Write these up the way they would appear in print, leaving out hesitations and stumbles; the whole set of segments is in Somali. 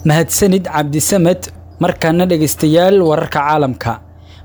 Mahadsanid Cabdisamed. Markaana dhegaystayaal, wararka caalamka.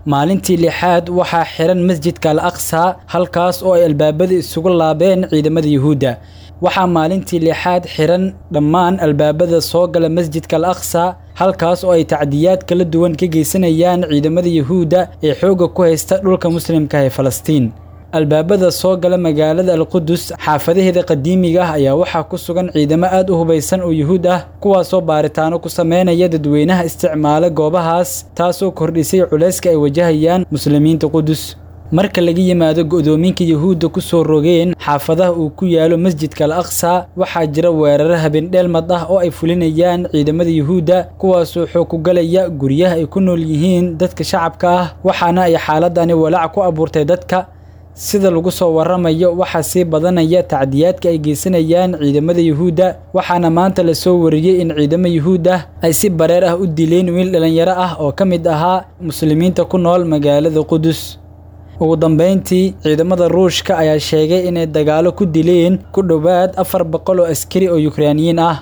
Maalintii lixaad waxaa xiran masjidka Al Aqsa, halkaas oo ay albaabada isugu laabeen ciidamada Yuhuudda. Waxaa maalintii lixaad xiran dhammaan albaabada soo gala masjidka Al Aqsa, halkaas oo ay tacdiyaad kala duwan ka geysanayaan ciidamada Yuhuudda ee xoogga ku haysta dhulka muslimka ee Falastiin. Albaabada soo gala magaalada Alqudus xaafadaheeda qadiimiga ah ayaa waxaa ku sugan ciidamo aad u hubaysan oo Yuhuud ah, kuwaasoo baaritaano ku sameynaya dadweynaha isticmaala goobahaas, taasoo kordhisay culayska ay wajahayaan muslimiinta Qudus. Marka laga yimaado go'doominka Yuhuudda ku soo rogeen xaafadaha uu ku yaalo masjidka Al Aqsa, waxaa jira weeraro habeen-dheelmad ah oo ay fulinayaan ciidamada Yuhuudda, kuwaasoo xoog ku galaya guryaha ay ku nool yihiin dadka shacabka ah, waxaana ay xaaladani walaac ku abuurtay dadka. Sida lagu soo waramayo, waxaa sii badanaya tacdiyaadka ay geysanayaan ciidamada Yuhuudda, waxaana maanta la soo wariyey in ciidamo Yuhuud ah ay si bareer ah u dileen wiil dhalinyaro ah oo ka mid ahaa muslimiinta ku nool magaalada Qudus. Ugu dambeyntii, ciidamada Ruushka ayaa sheegay inay dagaalo ku dileen ku dhowaad 400 oo askari oo Yukraaniyiin ah.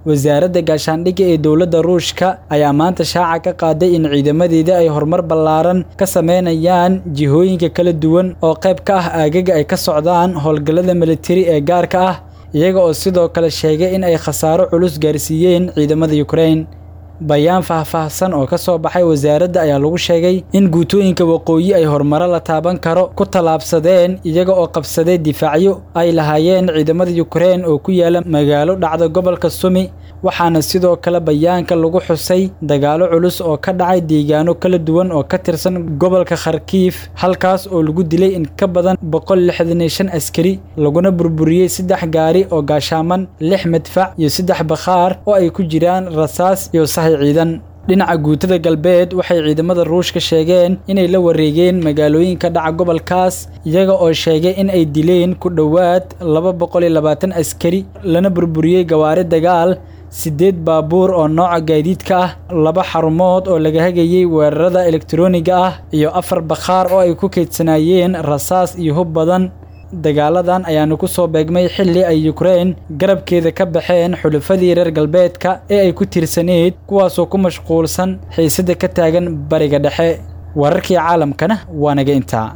Wasaaradda gaashaandhigga ee dowladda Ruushka ayaa maanta shaaca ka qaaday in ciidamadeeda ay horumar ballaaran ka sameynayaan jihooyinka kala duwan oo qayb ka ah aagaga ay ka socdaan howlgallada militari ee gaarka ah, iyaga oo sidoo kale sheegay in ay khasaaro culus gaarsiiyeen ciidamada Ukraine. Bayaan faahfaahsan oo ka soo baxay wasaaradda ayaa lagu sheegay in guutooyinka waqooyi ay horumaro la taaban karo ku tallaabsadeen, iyaga oo qabsaday difaacyo ay lahaayeen ciidamada Ukraine oo ku yaala magaalo dhacda gobolka Sumi. Waxaana sidoo kale bayaanka lagu xusay dagaalo culus oo ka dhacay deegaano kala duwan oo ka tirsan gobolka Kharkiif, halkaas oo lagu dilay in ka badan 165 askari, laguna burburiyey 3 gaari oo gaashaaman, 6 madfac iyo 3 bakhaar oo ay ku jiraan rasaas iyo sahay ciidan. Dhinaca guutada galbeed, waxay ciidamada Ruushka sheegeen inay la wareegeen magaalooyinka dhaca gobolkaas, iyaga oo sheegay in ay dileen ku dhowaad 220 askari, lana burburiyey gawaari dagaal, 8 baabuur oo nooca gaadiidka ah, 2 xarumood oo laga hagayey weerarada elektarooniga ah iyo 4 bakhaar oo ay ku keydsanaayeen rasaas iyo hub badan. Dagaaladan ayaana ku soo beegmay xilli ay Ukraine garabkeeda ka baxeen xulafadii reer galbeedka ee ay ku tiirsaneyd, kuwaasoo ku mashquulsan xiisadda ka taagan Bariga Dhexe. Wararkii caalamkana waa naga intaa.